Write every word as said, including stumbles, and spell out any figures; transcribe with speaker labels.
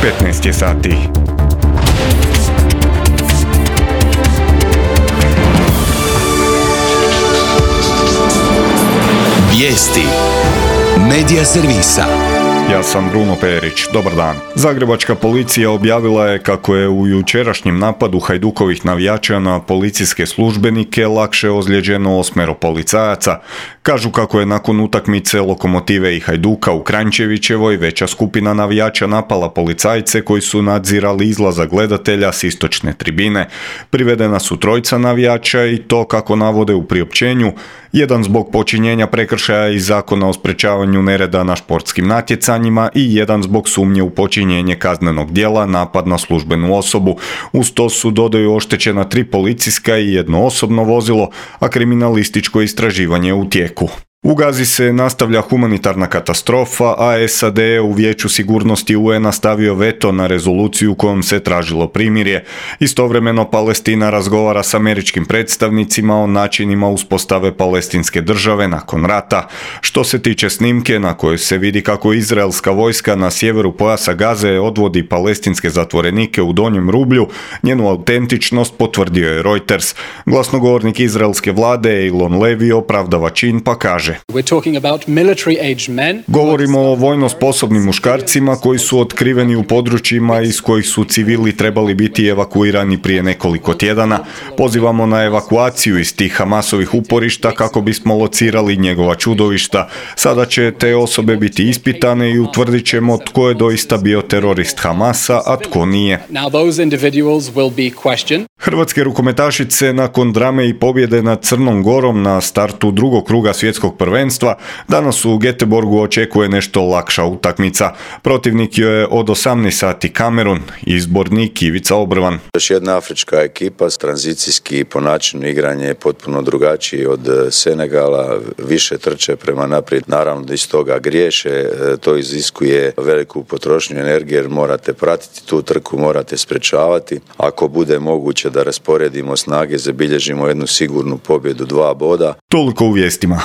Speaker 1: petnaest je sati.
Speaker 2: Vijesti Medija servisa.
Speaker 1: Ja sam Bruno Perić, dobar dan. Zagrebačka policija objavila je kako je u jučerašnjem napadu Hajdukovih navijača na policijske službenike lakše ozlijeđeno osmero policajaca. Kažu kako je nakon utakmice Lokomotive i Hajduka u Kranjčevićevoj veća skupina navijača napala policajce koji su nadzirali izlazak gledatelja s istočne tribine. Privedena su trojica navijača i to, kako navode u priopćenju, jedan zbog počinjenja prekršaja iz Zakona o sprečavanju nereda na športskim natjecanjima i jedan zbog sumnje u počinjenje kaznenog djela napad na službenu osobu. Uz to su, dodaju, oštećena tri policijska i jedno osobno vozilo, a kriminalističko istraživanje je u tijeku. U Gazi se nastavlja humanitarna katastrofa, a S A D je u Vijeću sigurnosti U N-a stavio veto na rezoluciju kojom se tražilo primirje. Istovremeno Palestina razgovara s američkim predstavnicima o načinima uspostave palestinske države nakon rata. Što se tiče snimke na kojoj se vidi kako izraelska vojska na sjeveru pojasa Gaze odvodi palestinske zatvorenike u donjem rublju, njenu autentičnost potvrdio je Reuters. Glasnogovornik izraelske vlade Eilon Levy opravdava čin pa kaže: Govorimo o vojno sposobnim muškarcima koji su otkriveni u područjima iz kojih su civili trebali biti evakuirani prije nekoliko tjedana. Pozivamo na evakuaciju iz tih Hamasovih uporišta kako bismo locirali njegova čudovišta. Sada će te osobe biti ispitane i utvrdit ćemo tko je doista bio terorist Hamasa, a tko nije. Hrvatske rukometašice nakon drame i pobjede nad Crnom Gorom na startu drugog kruga svjetskog prvenstva danas u Göteborgu očekuje nešto lakša utakmica. Protivnik joj je od osamnaest sati Kamerun, izbornik Ivica Obrvan.
Speaker 3: Još jedna afrička ekipa, tranzicijski po načinu igranja je potpuno drugačiji od Senegala, više trče prema naprijed, naravno da iz toga griješe, to iziskuje veliku potrošnju energije jer morate pratiti tu trku, morate sprečavati. Ako bude moguće da rasporedimo snage, zabilježimo jednu sigurnu pobjedu, dva boda.
Speaker 1: Toliko u vijestima.